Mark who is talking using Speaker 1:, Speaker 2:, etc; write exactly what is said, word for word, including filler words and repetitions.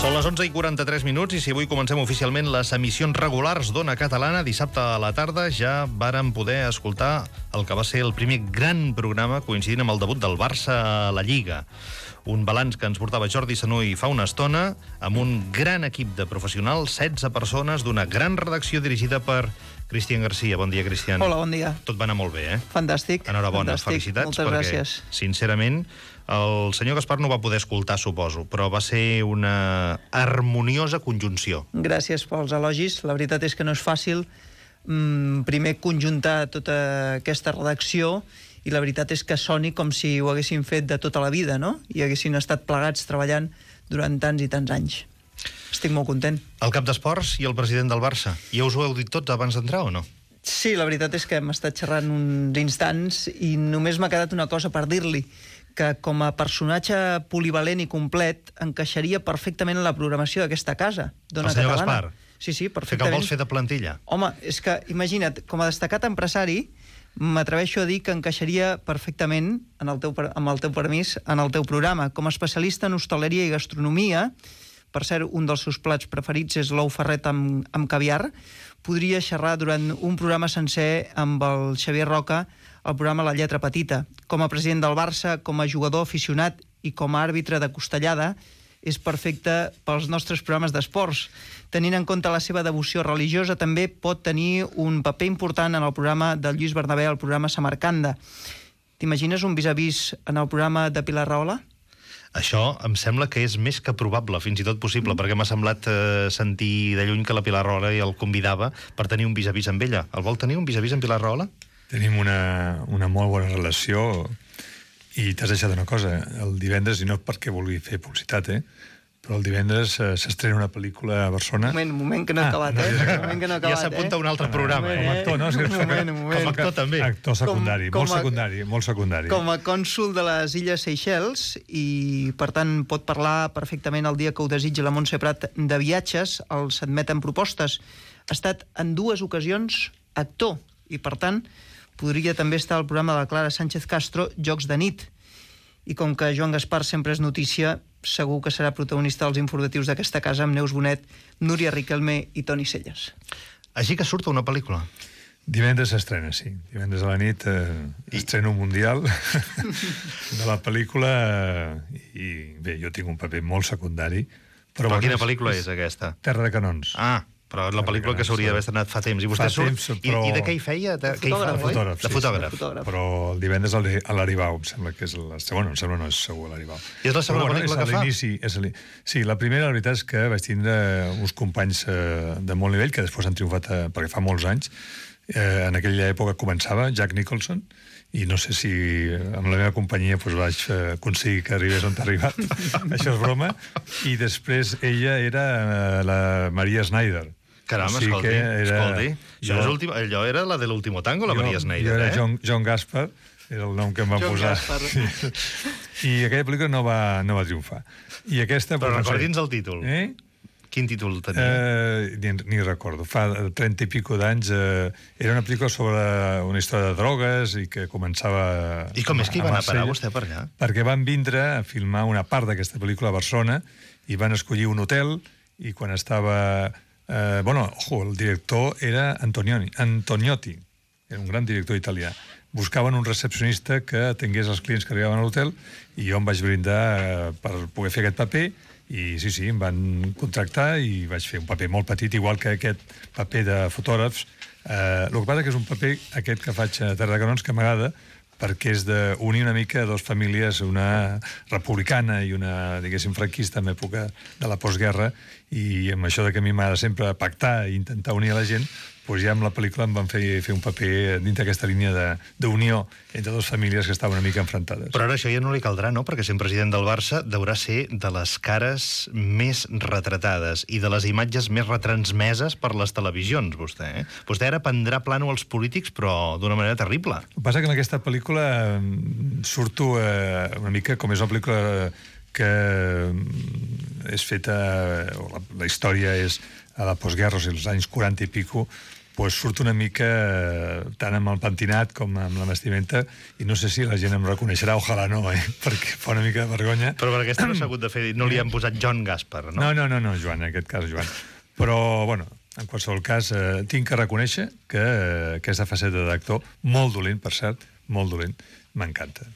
Speaker 1: Són les onze i quaranta-tres minuts i si avui comencem oficialment les emissions regulars d'Ona Catalana, dissabte a la tarda ja vàrem poder escoltar el que va ser el primer gran programa coincidint amb el debut del Barça a la Lliga. Un balanç que ens portava Jordi Sanuy fa una estona, amb un gran equip de professionals, setze persones d'una gran redacció dirigida per Cristian Garcia. Bon dia, Cristian.
Speaker 2: Hola, bon dia.
Speaker 1: Tot va anar molt bé, eh?
Speaker 2: Fantàstic.
Speaker 1: Enhorabona,
Speaker 2: fantàstic.
Speaker 1: felicitats.
Speaker 2: Moltes
Speaker 1: perquè,
Speaker 2: gràcies.
Speaker 1: Sincerament, el senyor Gaspar no va poder escoltar, suposo, però va ser una harmoniosa conjunció.
Speaker 2: Gràcies pels elogis. La veritat és que no és fàcil mm, primer conjuntar tota aquesta redacció i la veritat és que soni com si ho haguessin fet de tota la vida, no? I haguessin estat plegats treballant durant tants i tants anys. Estic molt content.
Speaker 1: El cap d'esports i el president del Barça. Ja us ho heu dit tots abans d'entrar o no?
Speaker 2: Sí, la veritat és que hem estat xerrant uns instants i només m'ha quedat una cosa per dir-li, que com a personatge polivalent i complet encaixaria perfectament en la programació d'aquesta casa, d'Ona
Speaker 1: El senyor
Speaker 2: Catalana.
Speaker 1: Gaspar?
Speaker 2: Sí, sí,
Speaker 1: Fer que el
Speaker 2: perfectament.
Speaker 1: vols fer de plantilla?
Speaker 2: Home, és que, imagina't, com a destacat empresari, m'atreveixo a dir que encaixaria perfectament, en el teu, amb el teu permís, en el teu programa. Com a especialista en hostaleria i gastronomia, per cert, un dels seus plats preferits és l'ou ferret amb, amb caviar, podria xerrar durant un programa sencer amb el Xavier Roca, el programa La Lletra Petita. Com a president del Barça, com a jugador aficionat i com a àrbitre de costellada, és perfecte pels nostres programes d'esports. Tenint en compte la seva devoció religiosa, també pot tenir un paper important en el programa del Lluís Bernabé, el programa Samarcanda. T'imagines un vis-a-vis en el programa de Pilar Rahola?
Speaker 1: Això em sembla que és més que probable, fins i tot possible, mm. perquè m'ha semblat eh, sentir de lluny que la Pilar Rahola el convidava per tenir un vis-a-vis amb ella. El vol tenir, un vis-a-vis amb Pilar Rahola?
Speaker 3: Tenim una, una molt bona relació i t'has deixat una cosa. El divendres, i no perquè vulgui fer publicitat, eh? però el divendres eh, s'estrena una pel·lícula a Barcelona.
Speaker 2: Un moment, un moment que no he acabat,
Speaker 3: Ah,
Speaker 2: eh?
Speaker 3: no,
Speaker 2: Un moment que no he acabat,
Speaker 1: ja s'apunta
Speaker 2: eh?
Speaker 1: un altre programa,
Speaker 2: Un
Speaker 1: eh?
Speaker 2: moment,
Speaker 3: Com a actor, no? És que-
Speaker 2: Un moment, un moment.
Speaker 1: Com a actor, també.
Speaker 3: Actor secundari,
Speaker 2: Com- com
Speaker 3: molt
Speaker 2: a-
Speaker 3: secundari, molt secundari.
Speaker 2: Com a cònsul de les Illes Seychelles i, per tant, pot parlar perfectament el dia que ho desitgi la Montse Prat de viatges, els admeten propostes. Ha estat en dues ocasions actor i, per tant, podria també estar al programa de la Clara Sánchez Castro, Jocs de nit. I com que Joan Gaspar sempre és notícia, segur que serà protagonista dels informatius d'aquesta casa amb Neus Bonet, Núria Riquelme i Toni Celles.
Speaker 1: Així que surt una pel·lícula.
Speaker 3: Divendres s'estrena, sí. Divendres a la nit eh, estreno mundial de la pel·lícula eh, i bé, jo tinc un paper molt secundari.
Speaker 1: Però,
Speaker 3: bueno,
Speaker 1: quina pel·lícula és aquesta?
Speaker 3: Terra de canons.
Speaker 1: Ah, però la pel·lícula que s'hauria d'haver estrenat fa temps. I vostè
Speaker 3: Fa
Speaker 1: surt...
Speaker 3: temps, però-
Speaker 1: I, I de què hi feia? De, què hi fa?
Speaker 2: fotògraf,
Speaker 3: De fotògraf,
Speaker 1: De
Speaker 3: sí,
Speaker 1: fotògraf.
Speaker 3: sí.
Speaker 2: Fotògraf.
Speaker 3: Però el divendres a l'Ari- a l'Aribau, em sembla que és la segona, no, em sembla no és segur a l'Aribau.
Speaker 1: I és la segona
Speaker 3: Però,
Speaker 1: pel·lícula
Speaker 3: és
Speaker 1: que
Speaker 3: a
Speaker 1: fa?
Speaker 3: l'inici, és a l'ini- Sí, la primera, la veritat és que vaig tindre uns companys eh, de molt nivell, que després han triomfat eh, perquè fa molts anys. Eh, en aquella època començava Jack Nicholson, i no sé si amb la meva companyia doncs, vaig eh, aconseguir que arribés on ha arribat. Això és broma. I després ella era eh, la Maria Snyder.
Speaker 1: Caram,
Speaker 3: O sigui
Speaker 1: escolti,
Speaker 3: que era-
Speaker 1: escolti. Això
Speaker 3: jo-
Speaker 1: és últim, allò era la de l'último tango, la
Speaker 3: jo,
Speaker 1: Maria Snyder,
Speaker 3: jo era
Speaker 1: eh?
Speaker 3: John, John Gaspar, era el nom que em van
Speaker 2: John
Speaker 3: posar.
Speaker 2: Gaspar.
Speaker 3: Sí. I aquella pel·lícula no va, no va triomfar. I aquesta...
Speaker 1: Però
Speaker 3: doncs, no sé.
Speaker 1: recordi'ns el títol.
Speaker 3: Eh?
Speaker 1: Quin títol tenia?
Speaker 3: Eh, ni, ni recordo. Fa trenta i pico d'anys eh, era una pel·lícula sobre una història de drogues i que començava...
Speaker 1: I com és que hi va anar a parar
Speaker 3: Marsella,
Speaker 1: vostè per allà?
Speaker 3: Perquè van vindre a filmar una part d'aquesta pel·lícula a Barcelona i van escollir un hotel i quan estava... Eh, bueno, ojo, el director era Antonioni, Antoniotti, era un gran director italià. Buscaven un recepcionista que atengués els clients que arribaven a l'hotel i jo em vaig brindar eh, per poder fer aquest paper i sí, sí, em van contractar i vaig fer un paper molt petit, igual que aquest paper de fotògrafs. Eh, el que passa que és un paper, aquest que faig a Terra de Canons, que m'agrada, perquè és d'unir una mica dues famílies, una republicana i una, diguéssim, franquista en època de la postguerra, i amb això de que a mi m'agrada sempre pactar i intentar unir a la gent, doncs ja amb la pel·lícula em van fer, fer un paper dintre d'aquesta línia d'unió entre dues famílies que estaven una mica enfrontades.
Speaker 1: Però ara això ja no li caldrà, no? Perquè sent president del Barça deurà ser de les cares més retratades i de les imatges més retransmeses per les televisions, vostè. Eh? Vostè ara prendrà plano als polítics, però d'una manera terrible.
Speaker 3: El que passa que en aquesta pel·lícula mm, surto eh, una mica, com és una pel·lícula que mm, és feta, o la, la història és a la postguerra, o sigui, als anys quaranta i pico, pues surt una mica eh, tant amb el pentinat com amb la vestimenta, i no sé si la gent em reconeixerà, ojalà no, eh? Perquè fa una mica de vergonya.
Speaker 1: Però per aquesta no s'ha hagut de fer, no li han posat John Gaspar, no?
Speaker 3: No, no, no, no, Joan, en aquest cas, Joan. Però, bueno, en qualsevol cas, eh, tinc que reconèixer que eh, aquesta faceta d'actor, molt dolent, per cert, molt dolent, m'encanta.